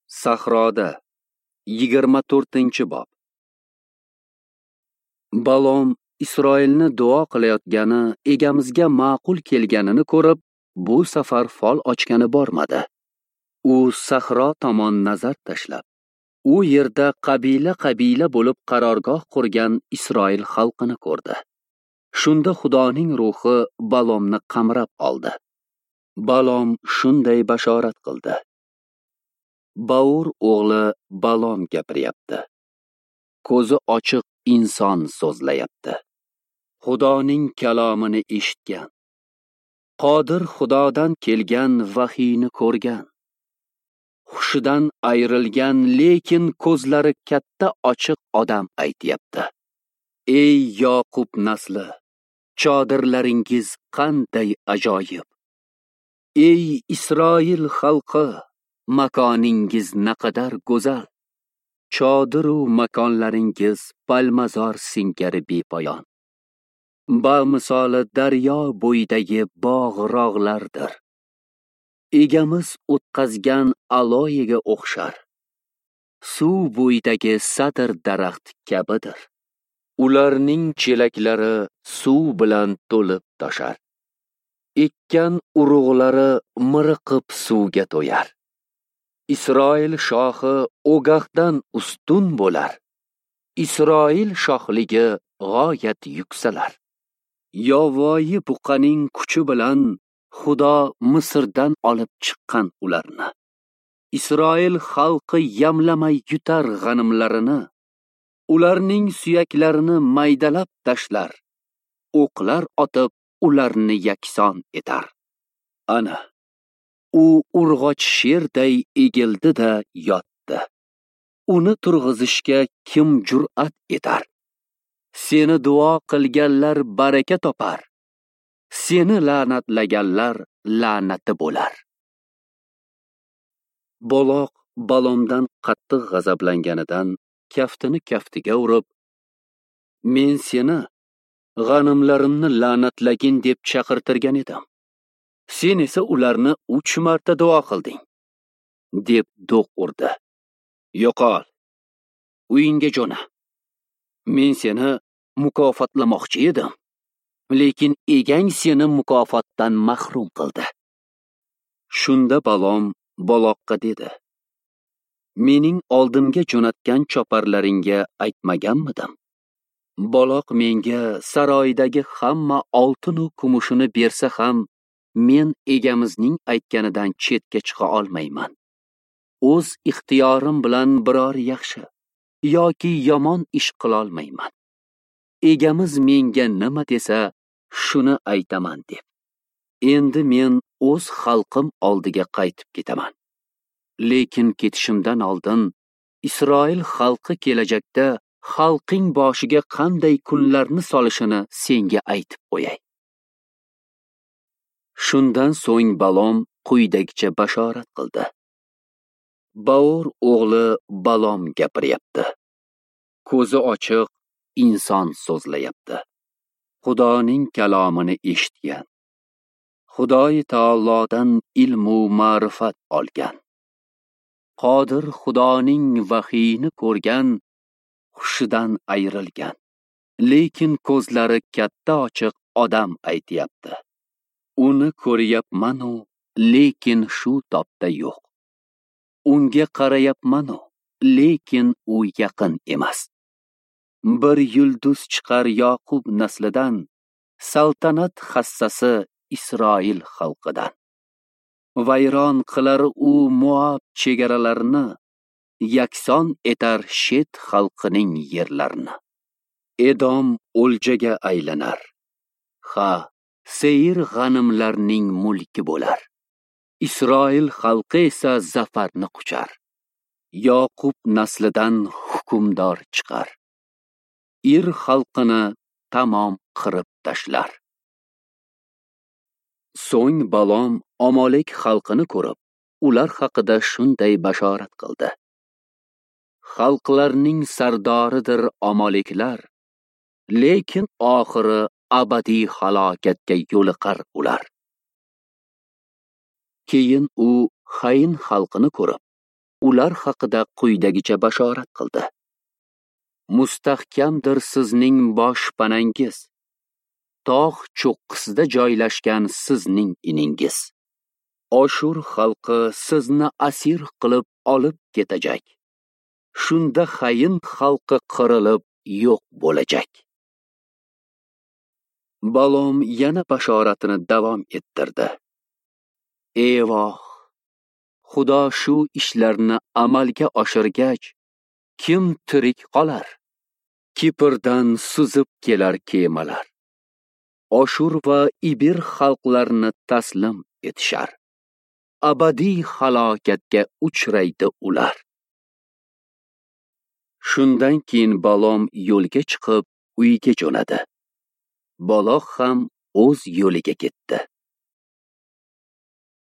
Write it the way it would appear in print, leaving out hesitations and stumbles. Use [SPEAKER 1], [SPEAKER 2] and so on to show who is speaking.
[SPEAKER 1] Sahroda 24-bob. Balom Isroilni duo qilayotgani egamizga ma'qul kelganini ko'rib, bu safar fol ochgani bormadi. U sahro tomon nazar tashlab, u yerda qabila-qabila bo'lib qarorgoh qurgan Isroil xalqini ko'rdi. Shunda Xudoning ruhi Balomni qamrab oldi. Balom shunday bashorat qildi: Baur o'g'li Balom gapiryapti. Ko'zi ochiq inson so'zlayapti. Xudoning kalomini eshitgan, Qodir Xudodan kelgan vahiyni ko'rgan, hushidan ayrilgan, lekin ko'zlari katta ochiq odam aytyapti. Ey Yoqub nasli, chodirlaringiz qanday ajoyib! Ey Isroil xalqi, makoningiz naqadar go'zal! Chodir-u makonlaringiz palmazor singari bepoyon. Ba misoli daryo bo'yidagi bog'-rog'lardir. Egamiz o'tqazgan aloyiga o'xshar. Suv bo'yidagi sadr daraxt kabidir. Ularning chelaklari suv bilan to'lib toshar. Ekkan urug'lari miriqib suvga to'yar. Isroil shohi Ogahdan ustun bo'lar. Isroil shohligi g'oyat yuksalar. Yovvoyi buqaning kuchi bilan Xudo Misrdan olib chiqqan ularni. Isroil xalqi yamlamay yutar g'animlarini, ularning suyaklarini maydalab tashlar, o'qlar otib ularni yakson etar. Ana, u urg'och sherday egildi-da yotdi. Uni turg'izishga kim jur'at etar? Seni duo qilganlar baraka topar. Seni la'natlaganlar la'nati bo'lar. Boloq Balomdan qattiq g'azablanganidan kaftini kaftiga urib, men seni g'animlarimni la'natlagin deb chaqirtirgan edim. Sen esa ularni 3 marta duo qilding, deb do'q urdi. Yo'qol, uyingga jo'na. Men seni mukofotlamoqchi edim, lekin egang seni mukofotdan mahrum qildi. Shunda Balom Boloqqa dedi: mening oldimga jo'natgan choparlaringga aytmaganmidim? Boloq menga saroydagi hamma oltin u kumushini bersa ham, men egamizning aytganidan chetga chiqa olmayman. O'z ixtiyorim bilan biror yaxshi yoki yomon ish qila olmayman. Egamiz menga nima desa, shuni aytaman deb. Endi men o'z xalqim oldiga qaytib ketaman. Lekin ketishimdan oldin Isroil xalqi kelajakda xalqing boshiga qanday kunlarni solishini senga aytib qo'yay. Shundan so'ng Balom quyidagicha bashorat qildi. Baur o'g'li Balom gapiryapti. Ko'zi ochiq inson so'zlayapti. Xudoning kalomini eshitgan, Xudoy taolodan ilmu ma'rifat olgan, Qodir Xudoning vahiyini ko'rgan, hushidan ayrilgan, lekin ko'zlari katta ochiq odam aytyapti. Uni ko'ryapman-u, lekin shu topda yo'q. Unga qarayapman-u, lekin u yaqin emas. Bir yulduz chiqar Yoqub naslidan, saltanat hassasi Isroil xalqidan. Vayron qilar u Moab chegaralarini, yakson etar Shet xalqining yerlarini. Edom o'ljaga aylanar. Ha, Seyir g'animlarning mulki bo'lar. Isroil xalqi esa zafarni quchar. Yoqub naslidan hukmdor chiqar. Ir xalqini tamom qirib tashlar. So'ng Balom Amalek xalqini ko'rib, ular haqida shunday bashorat qildi: Xalqlarning sardoridir Amaleklar, lekin oxiri abadiy halokatga yo'liqar ular. Keyin u Xayn xalqini ko'rib, ular haqida quyidagicha bashorat qildi: Mustahkamdir sizning boshpanangiz, tog' cho'qqisida joylashgan sizning iningiz. Oshur xalqi sizni asir qilib olib ketajak. Shunda xayin xalqi qirilib yo'q bo'lajak. Balom yana bashoratini davom ettirdi. Eyvoh! Xudo shu ishlarni amalga oshirgach, kim tirik qolar? Kiprdan suzib kelar kemalar. Oshur va Ibir xalqlarini taslim etishar. Abadiy halokatga uchraydi ular. Shundan keyin Balom yo'lga chiqib uyiga jo'nadi. Baloq ham o'z yo'liga ketdi.